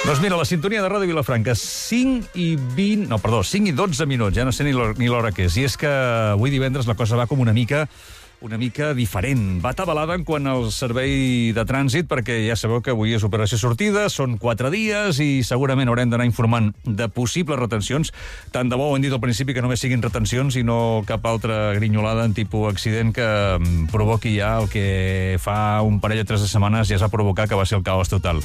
Doncs mira, la sintonia de Ràdio Vilafranca, 5 i 12 minuts, ja no sé ni l'hora que és. I és que avui divendres la cosa va com una mica diferent. Va atabalada en quant al servei de trànsit, perquè ja sabeu que avui és operació sortida, són 4 dies i segurament haurem d'anar informant de possibles retencions. Tant de bo, ho hem dit al principi, que només siguin retencions i no cap altra grinyolada en tipus accident que provoqui ja el que fa un parell o 3 de setmanes ja es va provocar, que va ser el caos total.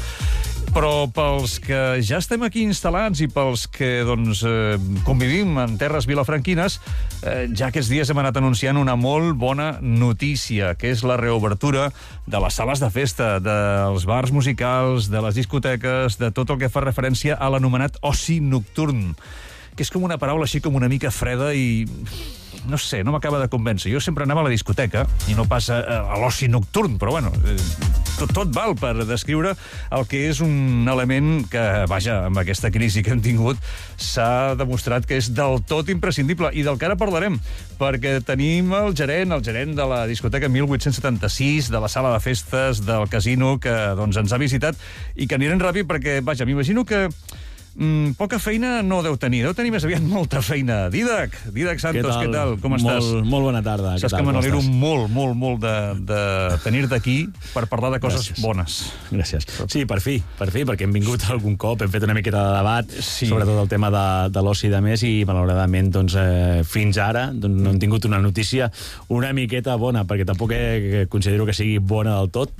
Però pels que ja estem aquí instal·lats i pels que convivim en terres vilafranquines, ja aquests dies hem anat anunciant una molt bona notícia, que és la reobertura de les sales de festa, dels bars musicals, de les discoteques, de tot el que fa referència a l'anomenat oci nocturn, que és com una paraula així com una mica freda i no sé, no m'acaba de convèncer. Jo sempre anava a la discoteca i no pas a l'oci nocturn, però bueno, tot val per descriure el que és un element que, vaja, amb aquesta crisi que hem tingut, s'ha demostrat que és del tot imprescindible i del que ara parlarem, perquè tenim el gerent de la discoteca 1876, de la sala de festes, del casino, que ens ha visitat i que anirem ràpid perquè, vaja, m'imagino que poca feina no deu tenir més aviat molta feina. Dídac Santos, què tal? Com estàs? Molt bona tarda. Saps que me n'alegro molt de tenir-te aquí per parlar de coses bones. Gràcies. Sí, per fi, perquè hem vingut algun cop, hem fet una miqueta de debat, sobretot el tema de l'oci de més, i malauradament fins ara no hem tingut una notícia una miqueta bona, perquè tampoc considero que sigui bona del tot.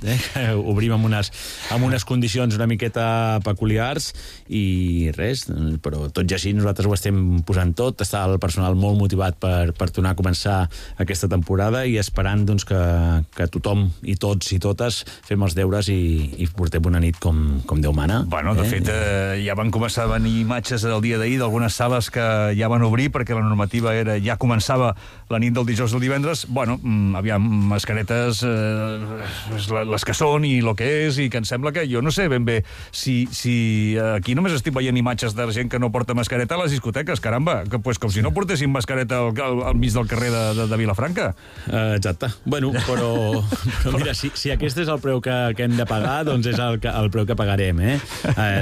Obrim amb unes condicions una miqueta peculiars i res, però tot i així nosaltres ho estem posant tot, està el personal molt motivat per tornar a començar aquesta temporada i esperant que tothom i tots i totes fem els deures i portem una nit com Déu mana. Bueno, de fet, ja van començar a venir imatges el dia d'ahir d'algunes sales que ja van obrir perquè la normativa ja començava la nit del dijous al divendres. Bueno, aviam, mascaretes les que són i el que és, i que em sembla que jo no sé ben bé si aquí només estic veient imatges de gent que no porta mascareta a les discoteques, caramba, com si no portessin mascareta al mig del carrer de Vilafranca. Exacte. Bueno, però mira, si aquest és el preu que hem de pagar, doncs és el preu que pagarem,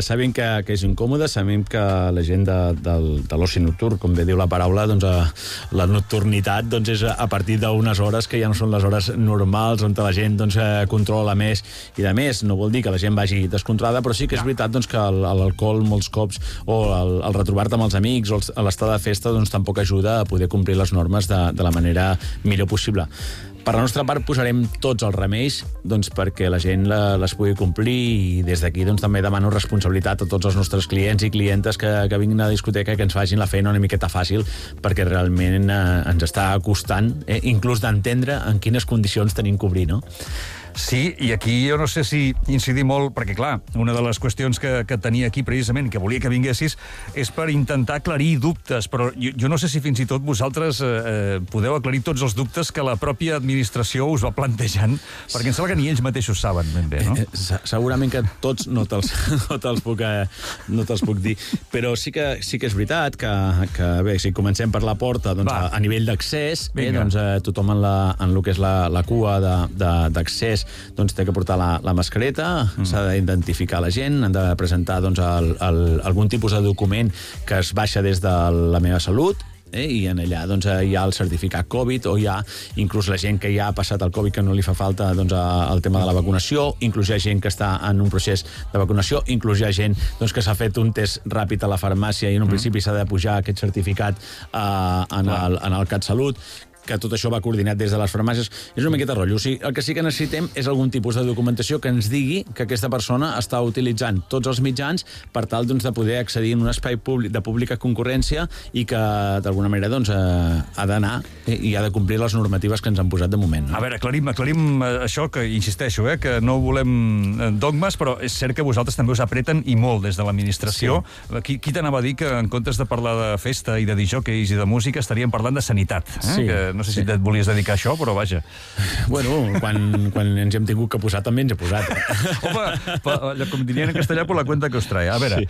Sabem que és incòmode, sabem que la gent de l'oci nocturn, com bé diu la paraula, la nocturnitat és a partir d'unes hores que ja no són les hores normals, on la gent controla més i de més. No vol dir que la gent vagi descontrolada, però sí que és veritat que l'alcohol molts cops o el retrobar-te amb els amics o l'estar de festa tampoc ajuda a poder complir les normes de la manera millor possible. Per la nostra part posarem tots els remeis perquè la gent les pugui complir, i des d'aquí també demano responsabilitat a tots els nostres clients i clientes que vinguin a la discoteca, que ens facin la feina una miqueta fàcil, perquè realment ens està costant inclús d'entendre en quines condicions tenim que obrir, no? Sí, i aquí jo no sé si incidir molt, perquè clar, una de les qüestions que tenia aquí precisament, que volia que vinguessis, és per intentar aclarir dubtes, però jo no sé si fins i tot vosaltres podeu aclarir tots els dubtes que la pròpia administració us va plantejant, perquè em sembla que ni ells mateixos saben ben bé, no? Segurament que tots no te'ls puc dir, però sí que és veritat que bé, si comencem per la porta, a nivell d'accés, tothom en el que és la cua d'accés té que portar la mascareta, s'ha d'identificar la gent, han de presentar algun tipus de document que es baixa des de la meva salut, i en allà hi ha el certificat Covid, o hi ha inclús la gent que ja ha passat el Covid, que no li fa falta el tema de la vacunació, inclús hi ha gent que està en un procés de vacunació, inclús hi ha gent que s'ha fet un test ràpid a la farmàcia i en un principi s'ha de pujar aquest certificat en el CatSalut, que tot això va coordinat des de les farmàcies. És una miqueta rotllo. O sigui, el que sí que necessitem és algun tipus de documentació que ens digui que aquesta persona està utilitzant tots els mitjans per tal de poder accedir en un espai de pública concurrència i que d'alguna manera ha d'anar i ha de complir les normatives que ens han posat de moment. No? A veure, aclarim això, que insisteixo, que no volem dogmes, però és cert que vosaltres també us apreten i molt des de l'administració. Sí. Qui t'anava a dir que en comptes de parlar de festa i de disjòqueis i de música estaríem parlant de sanitat? Sí. Que no sé si et volies dedicar a això, però vaja. Bueno, quan ens hem tingut que posar, també ens he posat. Home, com dirien en castellà, per la cuenta que us trae. A veure,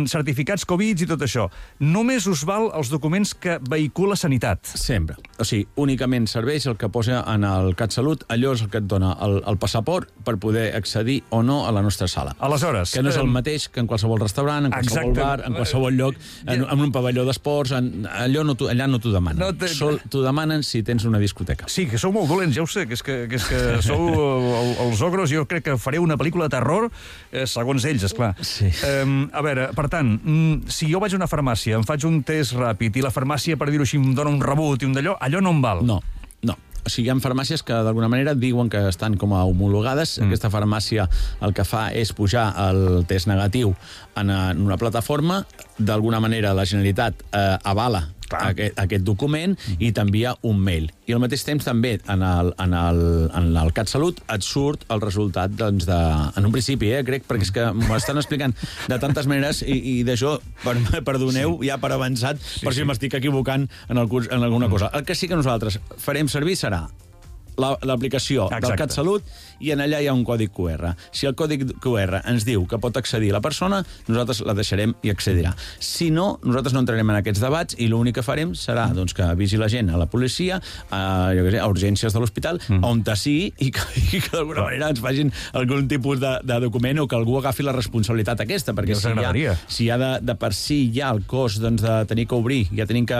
certificats Covid i tot això. Només us val els documents que vehicula Sanitat. Sempre. O sigui, únicament serveix el que posa en el CatSalut, allò és el que et dona el passaport per poder accedir o no a la nostra sala. Aleshores... Que no és el mateix que en qualsevol restaurant, en qualsevol bar, en qualsevol lloc, en un pavelló d'esports, allà no t'ho demanen. T'ho demanen si tens una discoteca. Sí, que sou molt dolents, ja ho sé, que és que sou els ogros, jo crec que faré una pel·lícula de terror, segons ells, esclar. Sí. A veure, per tant, si jo vaig a una farmàcia, em faig un test ràpid i la farmàcia, per dir-ho així, em dona un rebut i un d'allò, allò no em val. No. O sigui, hi ha farmàcies que d'alguna manera diuen que estan com a homologades. Aquesta farmàcia el que fa és pujar el test negatiu en una plataforma. D'alguna manera la Generalitat avala aquest document i t'envia un mail. I al mateix temps també en el CatSalut et surt el resultat doncs, en un principi, crec, perquè és que m'ho estan explicant de tantes maneres i d'això, perdoneu, ja per avançat, per si m'estic equivocant en alguna cosa. El que sí que nosaltres farem servir serà l'aplicació del CatSalut i en allà hi ha un codi QR. Si el codi QR ens diu que pot accedir la persona, nosaltres la deixarem i accedirà. Si no, nosaltres no entrarem en aquests debats i l'únic que farem serà doncs, que avisi la gent a la policia, a urgències de l'hospital, on sigui i que d'alguna manera ens facin algun tipus de document o que algú agafi la responsabilitat aquesta, perquè si ha de per si hi ha el cost doncs, de tenir que obrir, ja tenim que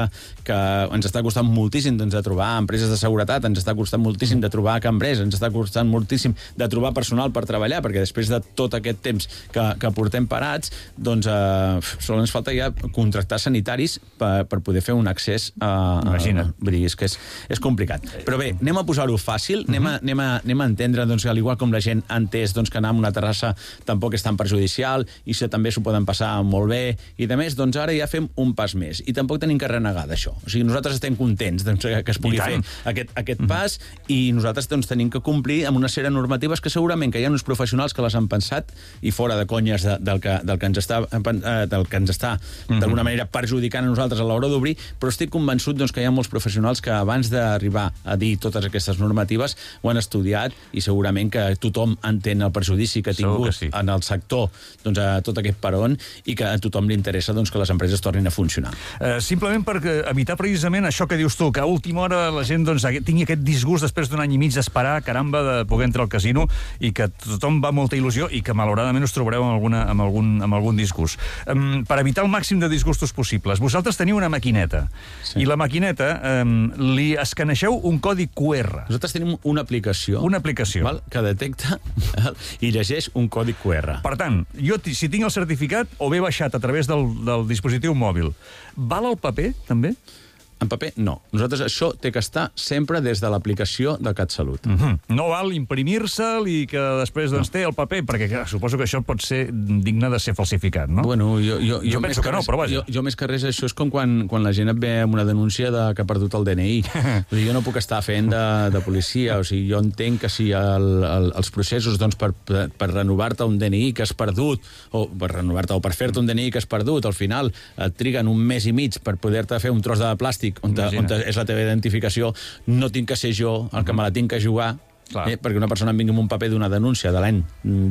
ens està costant moltíssim doncs, de trobar empreses de seguretat, ens està costant moltíssim de trobar cambrers, ens està costant moltíssim de trobar personal per treballar, perquè després de tot aquest temps que portem parats, doncs sols ens falta ja contractar sanitaris per poder fer un accés Imagina't. Vull dir, és que és complicat. Però bé, anem a posar-ho fàcil, anem a entendre, doncs, al igual com la gent ha entès doncs, que anar a una terrassa tampoc és tan perjudicial i també s'ho poden passar molt bé i de més, doncs ara ja fem un pas més i tampoc tenim que renegar d'això. O sigui, nosaltres estem contents doncs, que es pugui fer aquest pas i nosaltres doncs, tenim que complir amb una sèrie de normatives que segurament que hi ha uns professionals que les han pensat i fora de conyes del que ens està d'alguna manera perjudicant a nosaltres a l'hora d'obrir, però estic convençut doncs, que hi ha molts professionals que abans d'arribar a dir totes aquestes normatives ho han estudiat i segurament que tothom entén el perjudici que ha tingut en el sector doncs, a tot aquest peron i que a tothom li interessa doncs, que les empreses tornin a funcionar. Simplement per evitar precisament això que dius tu, que a última hora la gent doncs, tingui aquest disgust després d'un any i mig d'esperar, caramba, de poder entrar al casino i que tothom va amb molta il·lusió i que malauradament us trobareu amb algun disgust. Per evitar el màxim de disgustos possibles, vosaltres teniu una maquineta i la maquineta li escaneixeu un codi QR. Nosaltres tenim una aplicació val? Que detecta i llegeix un codi QR. Per tant, jo si tinc el certificat o bé baixat a través del dispositiu mòbil, val el paper també? En paper, no. Nosaltres això té que estar sempre des de l'aplicació de CatSalut. No val imprimir-se'l i que després doncs, té el paper, perquè clar, suposo que això pot ser digne de ser falsificat, no? Bueno, jo penso que no, però vaja. Jo més que res, això és com quan la gent et ve amb una denúncia que ha perdut el DNI. O sigui, jo no puc estar fent de policia. O sigui, jo entenc que si els processos doncs, per renovar-te un DNI que has perdut, o per renovar-te o per fer-te un DNI que has perdut, al final et triguen un mes i mig per poder-te fer un tros de plàstic on és la teva identificació, no tinc que ser jo el que me la tinc que jugar, perquè una persona em vingui amb un paper d'una denúncia de l'any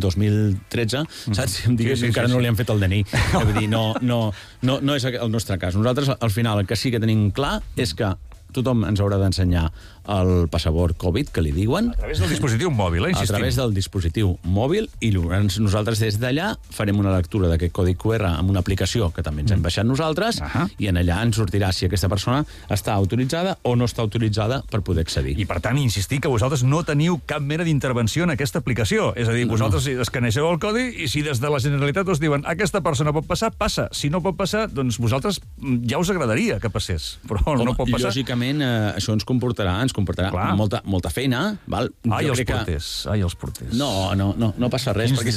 2013, saps? Em digués que encara no li han fet el DNI. Vull dir, no és el nostre cas. Nosaltres, al final, el que sí que tenim clar és que tothom ens haurà d'ensenyar el passaport Covid, que li diuen. A través del dispositiu mòbil, insistim. A través del dispositiu mòbil, i nosaltres des d'allà farem una lectura d'aquest codi QR amb una aplicació que també ens hem baixat nosaltres, i en allà ens sortirà si aquesta persona està autoritzada o no està autoritzada per poder accedir. I per tant, insistir que vosaltres no teniu cap mena d'intervenció en aquesta aplicació. És a dir, vosaltres escaneixeu el codi i si des de la Generalitat us diuen aquesta persona pot passar, passa. Si no pot passar, doncs vosaltres ja us agradaria que passés, però no pot passar. Lògicament, això ens comportarà molta feina. Val? Els porters. No passa res, perquè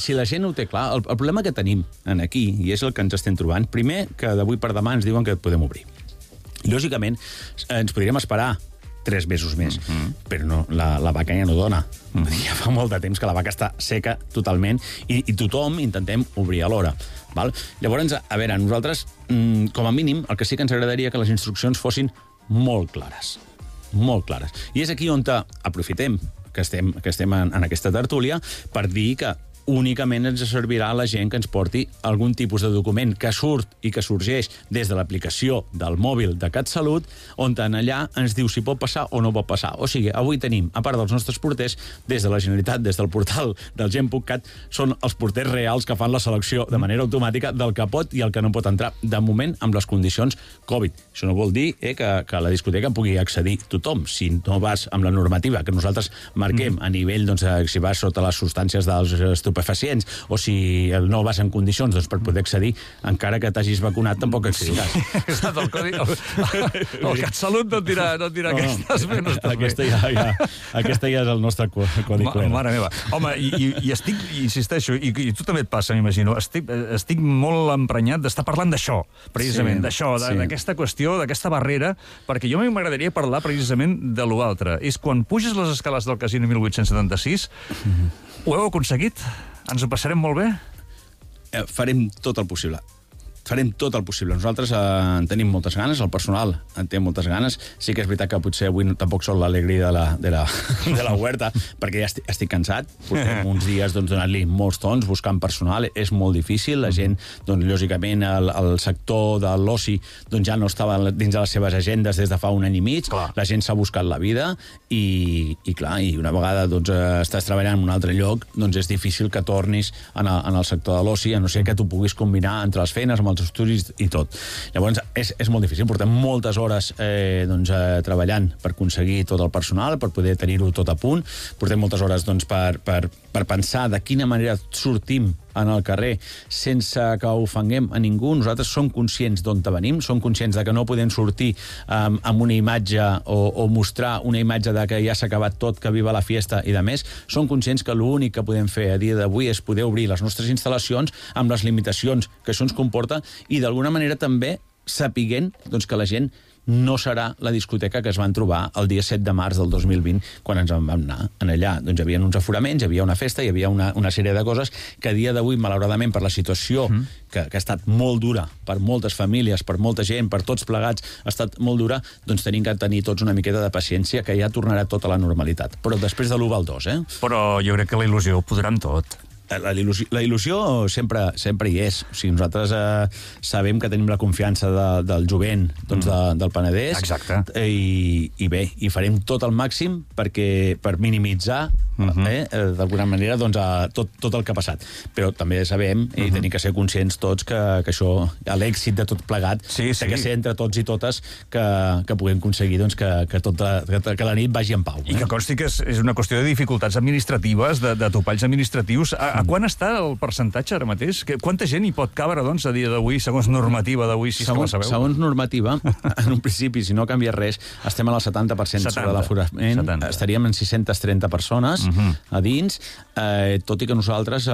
si la gent ho té clar, el problema que tenim aquí, i és el que ens estem trobant, primer, que d'avui per demà ens diuen que podem obrir. Lògicament, ens podríem esperar 3 mesos més, però no, la vaca ja no dona. Ja fa molt de temps que la vaca està seca totalment i tothom intentem obrir a l'hora. Llavors, a veure, nosaltres, com a mínim, el que sí que ens agradaria que les instruccions fossin molt clares. Molt clares. I és aquí on aprofitem que estem en aquesta tertúlia per dir que únicament ens servirà a la gent que ens porti algun tipus de document que surt i que sorgeix des de l'aplicació del mòbil de CatSalut, on allà ens diu si pot passar o no pot passar. O sigui, avui tenim, a part dels nostres porters, des de la Generalitat, des del portal del Gent.cat, són els porters reals que fan la selecció de manera automàtica del que pot i el que no pot entrar, de moment, amb les condicions Covid. Això no vol dir que a la discoteca pugui accedir tothom. Si no vas amb la normativa que nosaltres marquem a nivell, doncs, si vas sota les substàncies dels estupefacients o si no vas en condicions, doncs, per poder accedir, encara que t'hagis vacunat, tampoc accediràs. Exacte, el CatSalut no et dirà aquestes menos. Aquesta ja és el nostre codi QR. Mare meva. Home, i estic, insisteixo, i tu també et passa, m'imagino, estic molt emprenyat d'estar parlant d'això, precisament, d'això, d'aquesta qüestió, d'aquesta barrera, perquè jo m'agradaria parlar precisament de l'altre. És quan puges les escales del Casino 1876, ho heu aconseguit? Ens ho passarem molt bé? Farem tot el possible. Farem tot el possible. Nosaltres en tenim moltes ganes, el personal en té moltes ganes. Sí que és veritat que potser avui tampoc són l'alegria de la huerta, perquè ja estic cansat. Portem uns dies donant-li molts tons, buscant personal. És molt difícil. La gent, lògicament, el sector de l'oci ja no estava dins de les seves agendes des de fa un any i mig. La gent s'ha buscat la vida i una vegada estàs treballant en un altre lloc, és difícil que tornis en el sector de l'oci, a no ser que tu puguis combinar entre les feines, amb els estudis i tot. Llavors, és molt difícil. Portem moltes hores treballant per aconseguir tot el personal, per poder tenir-ho tot a punt. Portem moltes hores per pensar de quina manera sortim en el carrer sense que ofenguem a ningú. Nosaltres som conscients d'on venim, som conscients de que no podem sortir amb una imatge o mostrar una imatge de que ja s'ha acabat tot, que viva la fiesta i de més. Som conscients que l'únic que podem fer a dia d'avui és poder obrir les nostres instal·lacions amb les limitacions que això ens comporta i d'alguna manera també sapiguent que la gent no serà la discoteca que es van trobar el dia 7 de març del 2020, quan ens en vam anar. Allà hi havia uns aforaments, hi havia una festa, hi havia una sèrie de coses que a dia d'avui, malauradament, per la situació que ha estat molt dura per moltes famílies, per molta gent, per tots plegats, ha estat molt dura, tenim que tenir tots una miqueta de paciència, que ja tornarà tot a la normalitat. Però després de l'1 al 2, Però jo crec que la il·lusió ho podrà amb tot. La il·lusió sempre hi és. O sigui, nosaltres sabem que tenim la confiança del jovent del Penedès. Exacte. I bé, i farem tot el màxim per minimitzar d'alguna manera tot el que ha passat. Però també sabem i tenim que ser conscients tots que això, l'èxit de tot plegat, que ser entre tots i totes que puguem aconseguir que la nit vagi en pau. I que consti que és una qüestió de dificultats administratives, de topalls administratius. A quan està el percentatge ara mateix? Quanta gent hi pot cabre, a dia d'avui, segons normativa d'avui, si la sabeu? Segons normativa, en un principi, si no canvia res, estem al 70% sobre l'aforament. Estaríem en 630 persones a dins, tot i que nosaltres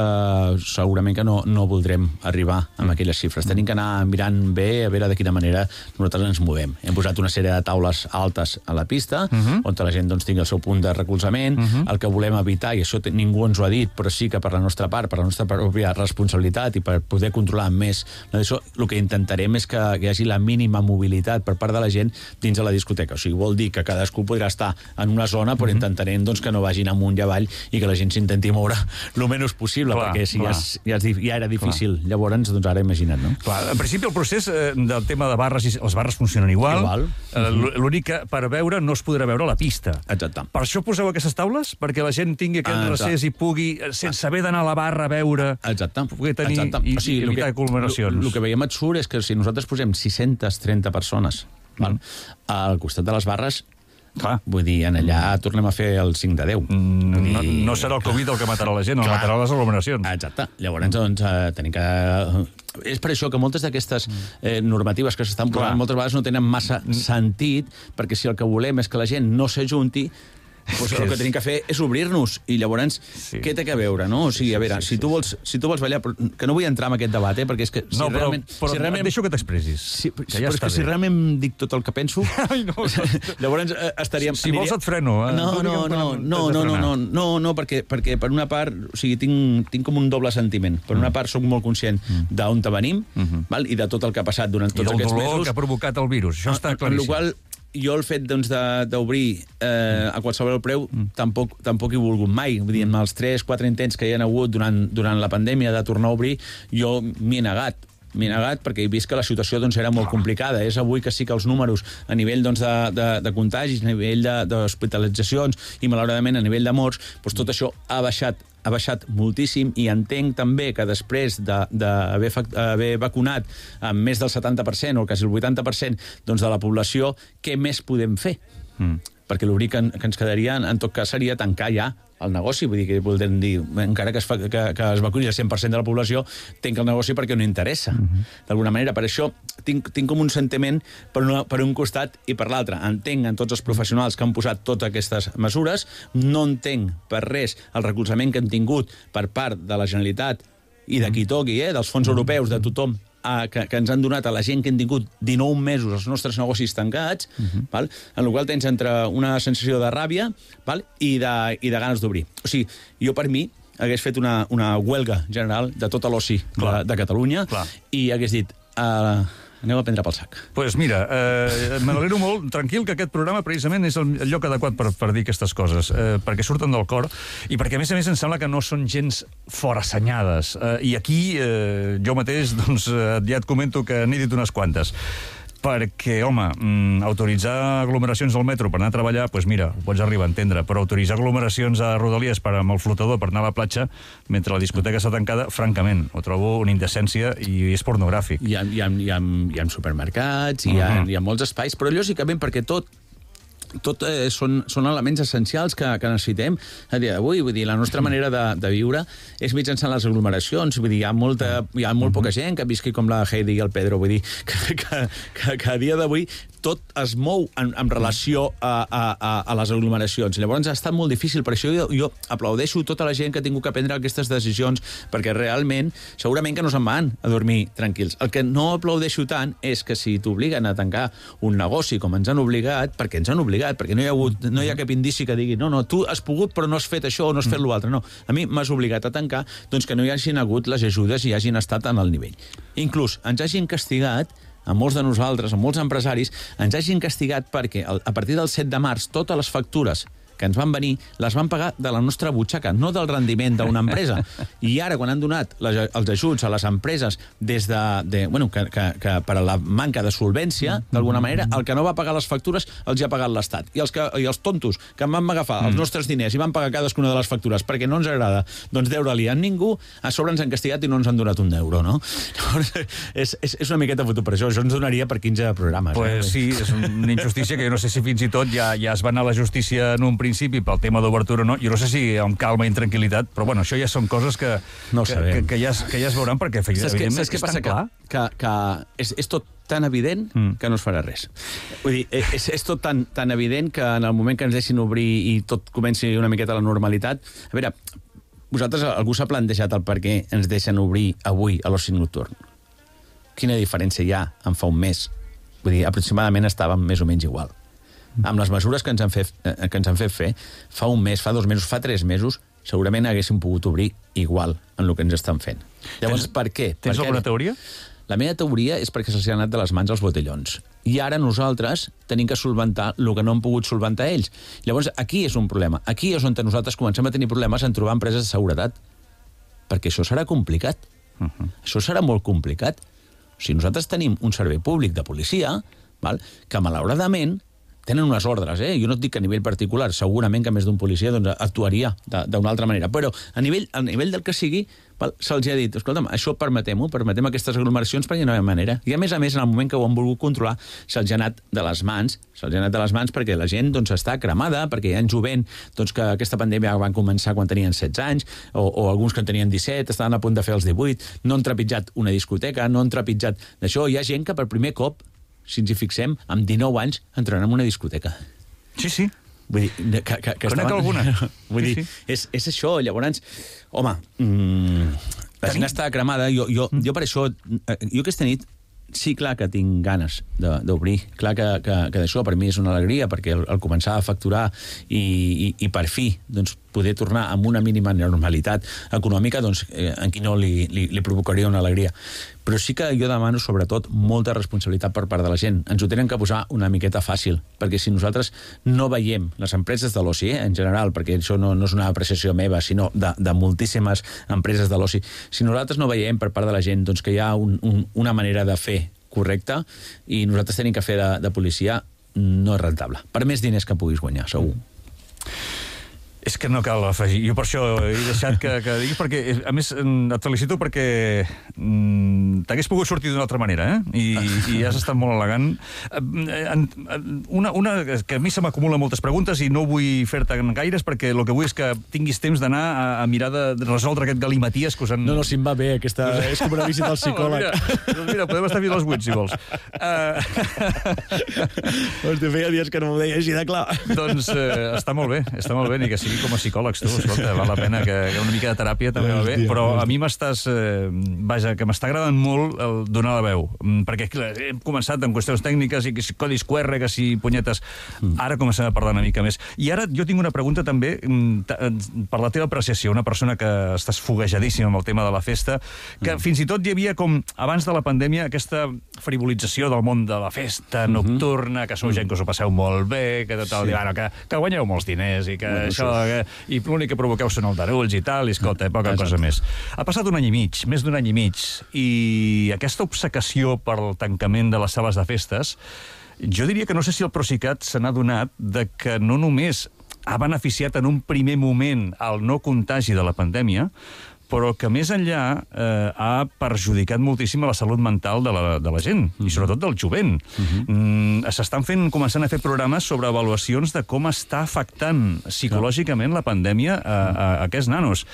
segurament que no voldrem arribar amb aquelles xifres. Tenim que anar mirant bé a veure de quina manera nosaltres ens movem. Hem posat una sèrie de taules altes a la pista, on la gent tingui el seu punt de recolzament. El que volem evitar, i això ningú ens ho ha dit, però sí que per la nostra part, per la nostra pròpia responsabilitat i per poder controlar més això, el que intentarem és que hi hagi la mínima mobilitat per part de la gent dins de la discoteca. O sigui, vol dir que cadascú podrà estar en una zona, però intentarem que no vagin amunt i avall i que la gent s'intenti moure el menys possible, perquè si ja era difícil. Llavors, ara imagina't, no? En principi, el procés del tema de barres, les barres funcionen igual. L'únic que per veure no es podrà veure a la pista. Exacte. Per això poseu aquestes taules? Perquè la gent tingui aquest recés i pugui, sense haver d'anar a la barra a veure, poder tenir i evitar aglomeracions. El que veiem absurd és que si nosaltres posem 630 persones al costat de les barres, vull dir, allà tornem a fer el 5 de 10. No serà el Covid el que matarà la gent, el matarà les aglomeracions. Exacte. Llavors, tenim que... És per això que moltes d'aquestes normatives que s'estan posant moltes vegades no tenen massa sentit, perquè si el que volem és que la gent no s'ajunti, el que tenim que fer és obrir-nos i llavors què té a veure, no? O sigui, a veure, si tu vols ballar, que no vull entrar en aquest debat, perquè és que si realment... Però et deixo que t'expressis. Però és que si realment dic tot el que penso, llavors estaríem... Si vols et freno. No, perquè per una part, o sigui, tinc com un doble sentiment. Per una part, soc molt conscient d'on venim i de tot el que ha passat durant tots aquests mesos. I del dolor que ha provocat el virus, això està claríssim. jo el fet d'obrir a qualsevol preu tampoc he volgut mai. Vull dir, amb els 3-4 intents que hi ha hagut durant la pandèmia de tornar a obrir, jo m'hi he negat. M'he negat perquè he vist que la situació era molt complicada. És avui que sí que els números a nivell de contagis, a nivell d'hospitalitzacions i, malauradament, a nivell de morts, tot això ha baixat moltíssim, i entenc també que després d'haver vacunat amb més del 70% o quasi el 80% de la població, què més podem fer? Perquè l'obrir que ens quedaria, en tot cas, seria tancar ja el negoci. Vull dir, que voldrem dir, encara que es vacuni el 100% de la població, tenc el negoci perquè no interessa. D'alguna manera, per això tinc com un sentiment per un costat i per l'altre. Entenc en tots els professionals que han posat totes aquestes mesures, no entenc per res el recolzament que han tingut per part de la Generalitat i de qui toqui, dels fons europeus, de tothom, que ens han donat a la gent que han tingut 19 mesos els nostres negocis tancats, en el qual tens entre una sensació de ràbia i de ganes d'obrir. O sigui, jo per mi hagués fet una huelga general de tot l'oci de Catalunya i hagués dit... aneu a prendre pel sac. Doncs pues mira, me n'alegro molt, tranquil, que aquest programa precisament és el lloc adequat per dir aquestes coses, perquè surten del cor i perquè, a més, em sembla que no són gens forassenyades. I aquí jo mateix ja et comento que n'he dit unes quantes. Perquè, home, autoritzar aglomeracions al metro per anar a treballar, doncs mira, ho pots arribar a entendre, però autoritzar aglomeracions a Rodalies amb el flotador per anar a la platja mentre la discoteca està tancada, francament, ho trobo una indecència i és pornogràfic. Hi ha supermercats, hi ha molts espais, però lògicament perquè tot són elements essencials que necessitem a dia d'avui. Vull dir, la nostra manera de viure és mitjançant les aglomeracions. Vull dir, hi ha molt poca gent que visqui com la Heidi i el Pedro. Vull dir, que a dia d'avui tot es mou en relació a les aglomeracions. Llavors ha estat molt difícil. Per això jo aplaudeixo tota la gent que ha tingut que prendre aquestes decisions, perquè realment, segurament que no se'n van a dormir tranquils. El que no aplaudeixo tant és que si t'obliguen a tancar un negoci com ens han obligat, perquè ens han obligat, perquè no hi ha cap indici que digui no, tu has pogut però no has fet això o no has fet l'altre. No, a mi m'has obligat a tancar, doncs que no hi hagin hagut les ajudes i hagin estat en el nivell. Inclús ens hagin castigat, a molts de nosaltres, a molts empresaris, ens hagin castigat perquè a partir del 7 de març totes les factures que ens van venir, les van pagar de la nostra butxaca, no del rendiment d'una empresa. I ara, quan han donat els ajuts a les empreses que per a la manca de solvència, d'alguna manera, el que no va pagar les factures els ha pagat l'Estat. I els tontos que van agafar els nostres diners i van pagar cadascuna de les factures perquè no ens agrada deure-li a ningú, a sobre ens han castigat i no ens han donat un euro, no? Llavors, és una miqueta fotut per això. Això ens donaria per 15 programes. Pues sí, és una injustícia que jo no sé si fins i tot ja es va anar a la justícia en un principi pel tema d'obertura o no. Jo no sé si amb calma i tranquil·litat, però bueno, això ja són coses que ja es veuran, perquè evidentment és tan clar. Que és tot tan evident que no es farà res. Vull dir, és tot tan evident que en el moment que ens deixin obrir i tot comenci una miqueta la normalitat... A veure, vosaltres, algú s'ha plantejat el per què ens deixen obrir avui a l'oci nocturn? Quina diferència hi ha en fa un mes? Vull dir, aproximadament estàvem més o menys igual. Amb les mesures que ens han fet fer, fa un mes, fa 2 mesos, fa 3 mesos, segurament haguéssim pogut obrir igual en el que ens estan fent. Llavors, per què? Tens alguna teoria? La meva teoria és perquè se'ls ha anat de les mans els botellons. I ara nosaltres tenim que solventar el que no han pogut solventar ells. Llavors, aquí és un problema. Aquí és on nosaltres comencem a tenir problemes en trobar empreses de seguretat. Perquè això serà complicat. Això serà molt complicat. O sigui, nosaltres tenim un servei públic de policia, que malauradament tenen unes ordres, Jo no et dic que a nivell particular, segurament que més d'un policia actuaria d'una altra manera, però a nivell del que sigui, se'ls ha dit, escolta'm, això permetem aquestes aglomeracions perquè no hi ha manera. I a més, en el moment que ho han volgut controlar, se'ls ha anat de les mans, perquè la gent està cremada, perquè hi ha jovent que aquesta pandèmia van començar quan tenien 16 anys, o alguns que en tenien 17, estaven a punt de fer els 18, no han trepitjat una discoteca, no han trepitjat d'això. Hi ha gent que per primer cop, si ens hi fixem, amb 19 anys entraran en una discoteca. Sí. Vull dir, que conec alguna. Vull dir, és això. Llavors, home, la gent està cremada. Jo per això, jo aquesta nit, sí, clar que tinc ganes d'obrir. Clar que d'això per mi és una alegria, perquè el començar a facturar i per fi, poder tornar amb una mínima normalitat econòmica, doncs en qui no li provocaria una alegria. Però sí que jo demano, sobretot, molta responsabilitat per part de la gent. Ens ho tenen que posar una miqueta fàcil, perquè si nosaltres no veiem, les empreses de l'oci, en general, perquè això no és una apreciació meva, sinó de moltíssimes empreses de l'oci, si nosaltres no veiem per part de la gent doncs, que hi ha una manera de fer correcta i nosaltres tenim que fer de policia, no és rentable. Per més diners que puguis guanyar, segur. És que no cal afegir. Jo per això he deixat que diguis, perquè, a més, et felicito perquè t'hagués pogut sortir d'una altra manera, I has estat molt elegant. Una que a mi se m'acumulen moltes preguntes i no vull fer-te gaires perquè el que vull és que tinguis temps d'anar a mirar de resoldre aquest galimaties que us han... No, si em va bé, aquesta... és com una visita al psicòleg. Mira, podem estar fins a les 8, si vols. Hòstia, feia dies que no m'ho deia així de clar. Doncs està molt bé, ni que sigui com a psicòlegs, tu, escolta, val la pena que una mica de teràpia també va bé, però a mi m'estàs... Vaja, que m'està agradant molt el donar la veu, perquè clar, hem començat amb qüestions tècniques i codis QR, que si punyetes... Ara comencem a parlar una mica més. I ara jo tinc una pregunta també per la teva apreciació, una persona que estàs foguejadíssima amb el tema de la festa, que fins i tot hi havia com, abans de la pandèmia, aquesta frivolització del món de la festa nocturna, que sou gent que us ho passeu molt bé, que tot el dia, que guanyeu molts diners i que això... I l'únic que provoqueu són aldarulls i tal, i escolta, poca cosa més. Ha passat un any i mig, més d'un any i mig, i aquesta obcecació pel tancament de les sales de festes, jo diria que no sé si el Procicat se n'ha adonat de que no només ha beneficiat en un primer moment el no contagi de la pandèmia, però que més enllà ha perjudicat moltíssim la salut mental de la gent, i sobretot del jovent. S'estan començant a fer programes sobre avaluacions de com està afectant psicològicament la pandèmia a aquests nanos.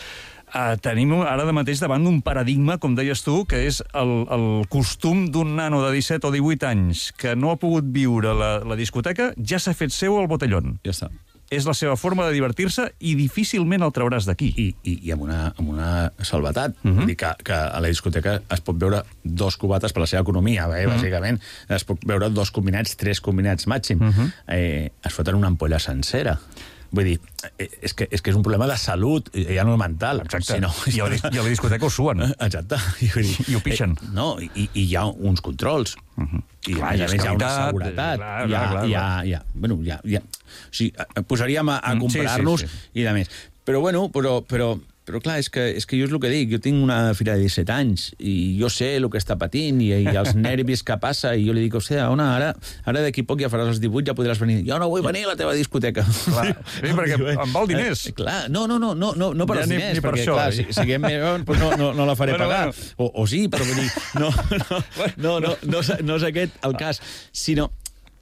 Tenim ara de mateix davant d'un paradigma, com deies tu, que és el costum d'un nano de 17 o 18 anys que no ha pogut viure la discoteca, ja s'ha fet seu al botellón. Ja està. És la seva forma de divertir-se i difícilment el trauràs d'aquí. I amb una salvetat. Vull dir que a la discoteca es pot veure 2 cubates per la seva economia, bàsicament. Es pot veure 2 combinats, 3 combinats màxim. Es foten una ampolla sencera. Vull dir, és que és un problema de salut, ja no mental. Exacte. I a la discoteca ho suen. Exacte. I ho pixen. No, i hi ha uns controls. I a més hi ha una seguretat. Bueno, ja... O sigui, posaríem a comparar-nos i de més. Però, bueno, però clar, és que jo és el que dic, jo tinc una filla de 17 anys i jo sé el que està patint i els nervis que passa i jo li dic, hòstia, ara d'aquí poc ja faràs els 18, ja podràs venir. Jo no vull venir a la teva discoteca. Clar, perquè em val diners. Clar, no per els diners, perquè clar, si siguem més, no la faré pagar. O sí, però vull dir, no és aquest el cas, sinó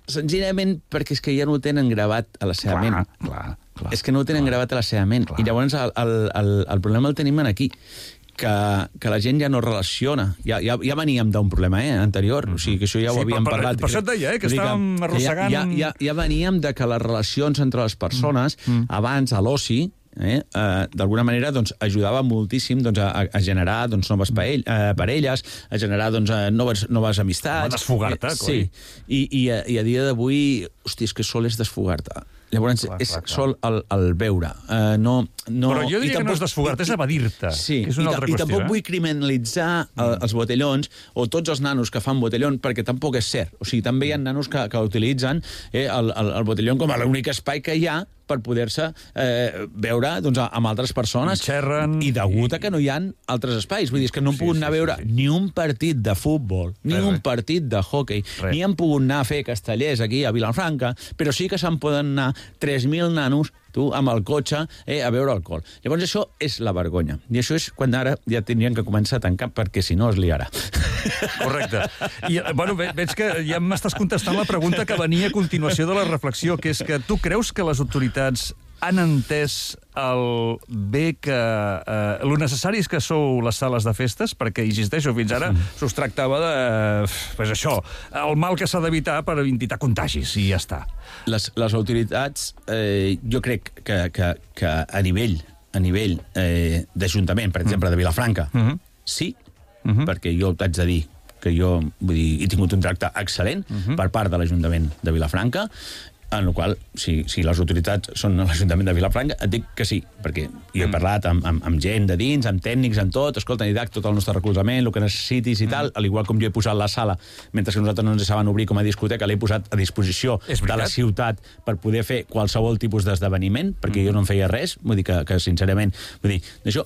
senzillament perquè és que ja no ho tenen gravat a la seva ment. Clar. És que no ho tenen gravat a la seva ment. I llavors el problema el tenim aquí, que la gent ja no relaciona. Ja veníem d'un problema anterior, o sigui que això ja ho havíem parlat. Per això et deia, que estàvem arrossegant... Ja veníem de que les relacions entre les persones, abans a l'oci, d'alguna manera doncs, ajudava moltíssim doncs, a generar doncs, noves parelles, a generar doncs, noves amistats. A desfogar-te, sí. I a dia d'avui, hòstia, és que sol és desfogar-te. Llavors, és sol el veure. Però jo diria que no és desfogar-te, és evadir-te. Sí, és una altra qüestió. I tampoc vull criminalitzar els botellons o tots els nanos que fan botellón, perquè tampoc és cert. O sigui, també hi ha nanos que utilitzen el botellón com a l'únic espai que hi ha per poder-se veure doncs, amb altres persones. Xerren... I degut a que no hi ha altres espais. Vull dir, és que no han pogut anar a veure ni un partit de futbol, ni un partit de hockey, ni han pogut anar a fer castellers aquí a Vilafranca, però sí que se'n poden anar 3.000 nanos amb el cotxe a beure alcohol. Llavors això és la vergonya. I això és quan ara ja tindrien que començar a tancar, perquè si no es liarà. Correcte. I, bueno, veig que ja m'estàs contestant la pregunta que venia a continuació de la reflexió, que és que tu creus que les autoritats han entès el bé que... lo necessaris que sou les sales de festes, perquè, insisteixo, fins ara s'us tractava de... pues això, el mal que s'ha d'evitar per evitar contagis, i ja està. Les autoritats, jo crec que a nivell d'Ajuntament, per exemple, de Vilafranca, sí, perquè jo t'haig de dir que jo he tingut un tracte excel·lent per part de l'Ajuntament de Vilafranca, En el qual, si les autoritats són a l'Ajuntament de Vilafranca, et dic que sí, perquè jo he parlat amb gent de dins, amb tècnics, amb tot, escolta, Didac, tot el nostre recolzament, el que necessitis i tal, al igual com jo he posat la sala, mentre que nosaltres no ens saben obrir com a discoteca, l'he posat a disposició de la ciutat per poder fer qualsevol tipus d'esdeveniment, perquè jo no en feia res, vull dir que sincerament, vull dir, d'això,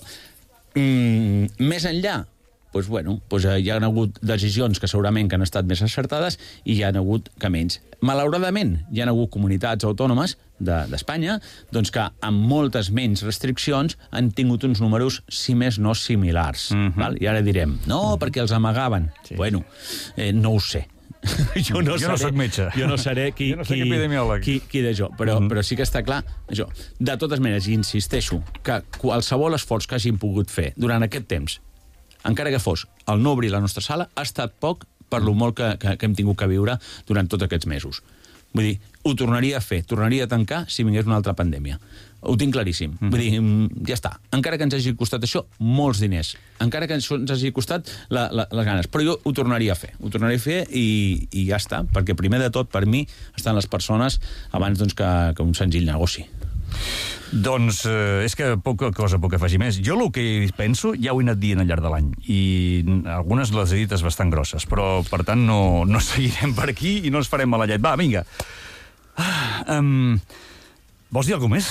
més enllà, doncs, bueno, hi ha hagut decisions que segurament que han estat més acertades i hi ha hagut que menys. Malauradament, hi ha hagut comunitats autònomes d'Espanya doncs que amb moltes menys restriccions han tingut uns números, si més no, similars. Val? I ara direm, no, perquè els amagaven. Sí. Bueno, no ho sé. Jo no soc metge. Jo no seré qui d'això, però sí que està clar això. De totes maneres, insisteixo que qualsevol esforç que hagin pogut fer durant aquest temps, encara que fos el no obrir la nostra sala, ha estat poc per lo molt que hem tingut que viure durant tots aquests mesos. Vull dir, ho tornaria a fer, tornaria a tancar si vingués una altra pandèmia. Ho tinc claríssim. Vull dir, ja està. Encara que ens hagi costat això, molts diners. Encara que ens hagi costat les ganes. Però jo ho tornaria a fer. Ho tornaria a fer i ja està. Perquè primer de tot, per mi, estan les persones abans que un senzill negoci. Doncs és que poca cosa puc afegir més. Jo el que penso ja ho he anat dient al llarg de l'any i algunes les he dites bastant grosses, però per tant no seguirem per aquí i no ens farem mala llet. Va, vinga. Vols dir alguna més?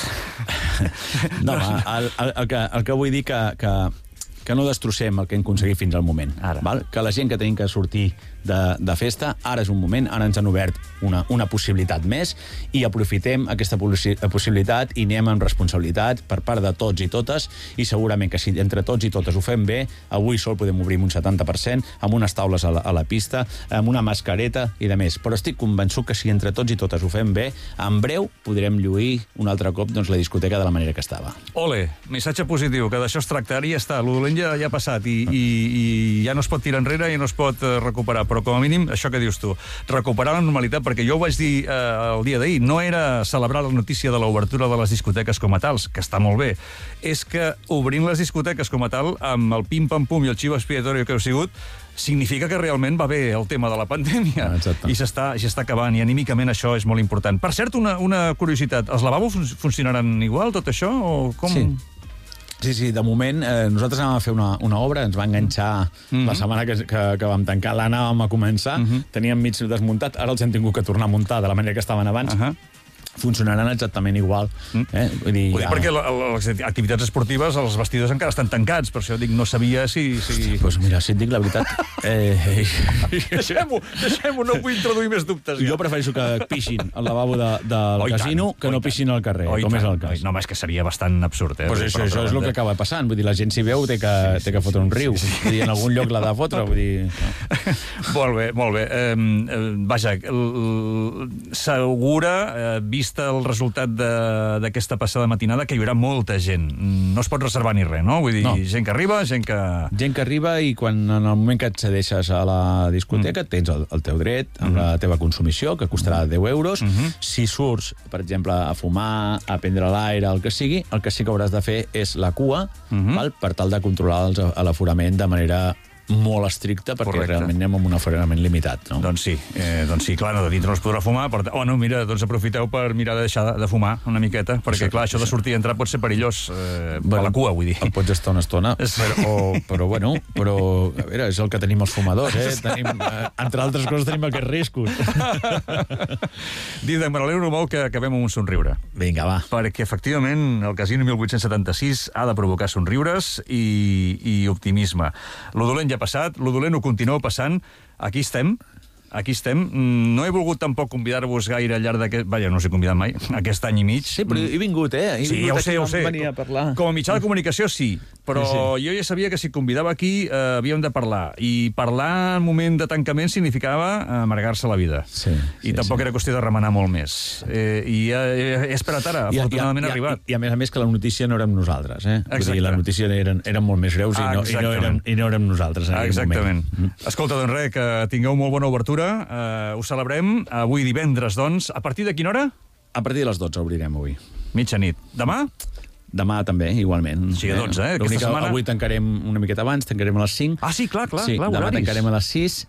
No, el que vull dir que no destrossem el que hem aconseguit fins al moment. Val? Que la gent que tenim que sortir de festa, ara és un moment, ara ens han obert una possibilitat més i aprofitem aquesta possibilitat i anem amb responsabilitat per part de tots i totes i segurament que si entre tots i totes ho fem bé, avui sol podem obrir un 70%, amb unes taules a la pista, amb una mascareta i de més. Però estic convençut que si entre tots i totes ho fem bé, en breu podrem lluir un altre cop la discoteca de la manera que estava. Ole, missatge positiu, que d'això es tracta. Ara ja està, el dolent ja ha passat i ja no es pot tirar enrere i no es pot recuperar, però com a mínim, això que dius tu, recuperar la normalitat, perquè jo ho vaig dir el dia d'ahir, no era celebrar la notícia de l'obertura de les discoteques com a tals, que està molt bé, és que obrint les discoteques com a tal, amb el pim-pam-pum i el xivo expiatori que heu sigut, significa que realment va bé el tema de la pandèmia. I s'està acabant, i anímicament això és molt important. Per cert, una curiositat, els lavabos funcionaran igual, tot això, o com... Sí, de moment nosaltres anàvem a fer una obra, ens va enganxar la setmana que vam tancar, l'anàvem a començar, teníem mig desmuntat, ara els hem tingut que tornar a muntar de la manera que estaven abans. Funcionaran exactament igual. Vull dir, perquè les activitats esportives, els vestidors encara estan tancats, per això dic, no sabia si... Doncs mira, si et dic la veritat... Deixem-ho, no vull introduir més dubtes. Jo prefereixo que pixin al lavabo del casino que no pixin al carrer, com és el cas. No, és que seria bastant absurd. Això és el que acaba passant. Vull dir, la gent si veu té que fotre un riu. Vull dir, en algun lloc l'ha de fotre. Molt bé. Vaja, segura, vist el resultat d'aquesta passada matinada, que hi haurà molta gent. No es pot reservar ni res, no? Vull dir, gent que arriba, gent que... Gent que arriba i quan en el moment que accedeixes a la discoteca tens el teu dret amb la teva consumició, que costarà 10 euros. Si surts, per exemple, a fumar, a prendre l'aire, el que sigui, el que sí que hauràs de fer és la cua, per tal de controlar l'aforament de manera molt estricta, perquè realment anem amb un aforament limitat. Doncs sí, clar, de dintre no es podrà fumar. Mira, doncs aprofiteu per mirar de deixar de fumar una miqueta, perquè clar, això de sortir i entrar pot ser perillós a la cua, vull dir. El pots estar una estona, però a veure, és el que tenim els fumadors, entre altres coses tenim aquests riscos. Didac, me n'alegro molt que acabem amb un somriure. Vinga, va. Perquè efectivament el Casino 1876 ha de provocar somriures i optimisme. Lo dolent ja passat, lo dolent ho continua passant, aquí estem. No he volgut tampoc convidar-vos gaire al llarg d'aquest... Vaja, no us he convidat mai, aquest any i mig. Sí, però he vingut, Sí, ja ho sé. Venir a parlar. Com a mitjà de comunicació, sí. Però jo ja sabia que si convidava aquí havíem de parlar. I parlar en moment de tancament significava amargar-se la vida. I tampoc era qüestió de remenar molt més. I he esperat ara, afortunadament ha arribat. I a més que la notícia no érem nosaltres, Vull dir, la notícia eren molt més greus i no érem nosaltres en aquell moment. Exactament. Escolta, doncs res, que tingueu molt bona obertura. Ho celebrem avui divendres, doncs. A partir de quina hora? A partir de les 12 obrirem avui. Mitjanit. Demà? Demà també, igualment. Sí, a 12, aquesta L'únic que setmana... avui tancarem una miqueta abans, tancarem a les 5. Ah, sí, clar, Sí, demà horaris. tancarem a les 6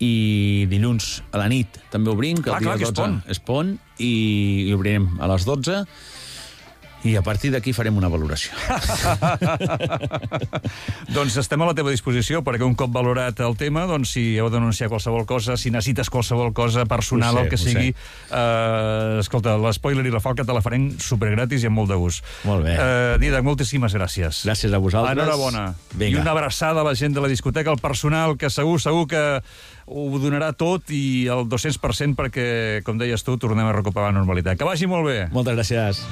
i dilluns a la nit també obrim, que el dia que 12 és pont, i obrirem a les 12. I a partir d'aquí farem una valoració. Doncs estem a la teva disposició, perquè un cop valorat el tema, doncs si heu d'anunciar qualsevol cosa, si necessites qualsevol cosa personal, el que sigui, escolta, l'Spoiler i la Falca te la farem supergratis i amb molt de gust. Molt bé. Didac, moltíssimes gràcies. Gràcies a vosaltres. Enhorabona. Vinga. I una abraçada a la gent de la discoteca, al personal, que segur que ho donarà tot i el 200% perquè, com deies tu, tornem a recuperar la normalitat. Que vagi molt bé. Moltes gràcies.